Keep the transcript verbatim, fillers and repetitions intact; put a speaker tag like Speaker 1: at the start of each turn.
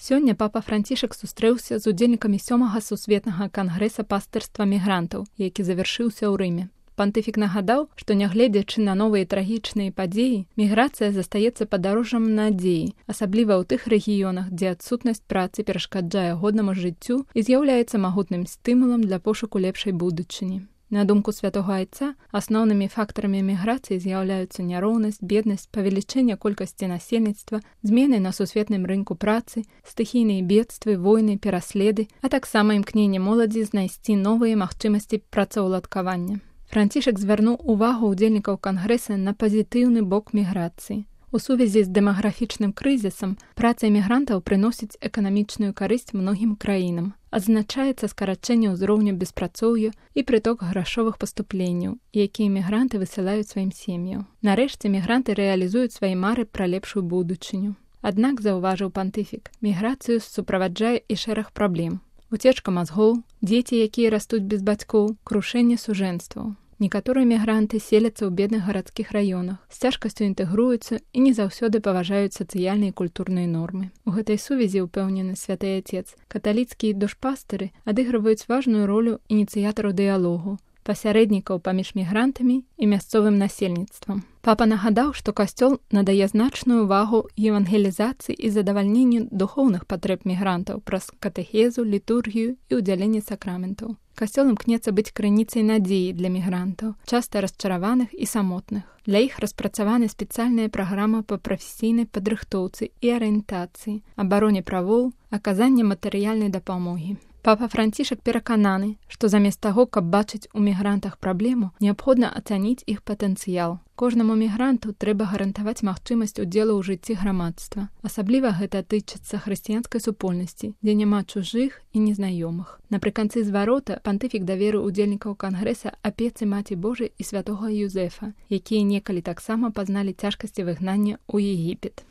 Speaker 1: Сёння папа Францішак сустрэўся з удзельнікамі сёмага сусветнага кангрэса пастырства мігрантаў, які завяршыўся ў Рыме. Пантыфік нагадаў, што нягледзячы на новыя трагічныя падзеі, міграцыя застаецца падарожжам надзеі, асабліва ў тых рэгіёнах, дзе адсутнасць працы перашкаджае годнаму жыццю і з'яўляецца магутным стымулам для пошуку лепшай будучыні. На думку святога айца, асноўнымі фактарамі міграцыі з'яўляюцца няроўнасць, беднасць, павелічэнне колькасці насельніцтва, змены на сусветным рынку працы, стыхійныя бедствы, войны, пераследы, а таксама імкненне моладзі знайсці новыя магчымасці працаўладкавання. Францішак звярнуў увагу ўдзельнікаў кангрэса на пазітыўны бок міграцыі. У сувязі з дэмаграфічным крызісам праца эмігрантаў прыносіць эканамічную карысць многім краінам. Адзначаецца скарачэнне ўзроўню беспрацоўя і прыток грашовых паступленняў, якія эмігранты высылаюць сваім сем'ям. Нарэшце эмігранты рэалізуюць свае мары пра лепшую будучыню. Аднак, заўважыў пантыфік, міграцыю суправаджае і шэраг праблем. Уцечка мазгоў, дзеці, якія растуць без бацькоў, крушэнне сужэнстваў. Некаторыя мігранты селяцца ў бедных гарадскіх раёнах, з цяжкасцю інтэгруюцца і не заўсёды паважаюць сацыяльныя і культурныя нормы. У гэтай сувязі ўпэўнены святы Отец, каталіцкія душпастыры адыгрываюць важную ролю ініцыятараў дыялогу, пасярэднікаў паміж мігрантамі і мясцовым насельніцтвам. Папа нагадаў, што касцёл надае значную ўвагу евангелізацыі і задавальненню духоўных патрэб мігрантаў праз катэхезу, літургію і ўдзяленне сакраментаў. Касцёл імкнецца быць крыніцай надзеі для мігрантаў, часта расчараваных і самотных. Для іх распрацаваны спецыяльная праграма па прафесійнай падрыхтоўцы і арыентацыі, абароне правоў, аказанне матэрыяльнай дапамогі. Папа Францішак перакананы, што замест таго, каб бачыць у мігрантах праблему, неабходна ацаніць іх патэнцыял. Кожнаму мігранту трэба гарантаваць магчымасць удзелу ў жыцці грамадства. Асабліва гэта тычыцца хрысціянскай супольнасці, дзе няма чужых і незнаёмых. Напрыканцы зварота пантыфік даверыў удзельнікаў кангрэса апецы Маці Божай і святога Юзэфа, якія некалі таксама пазналі цяжкасці выгнання ў Егіпет.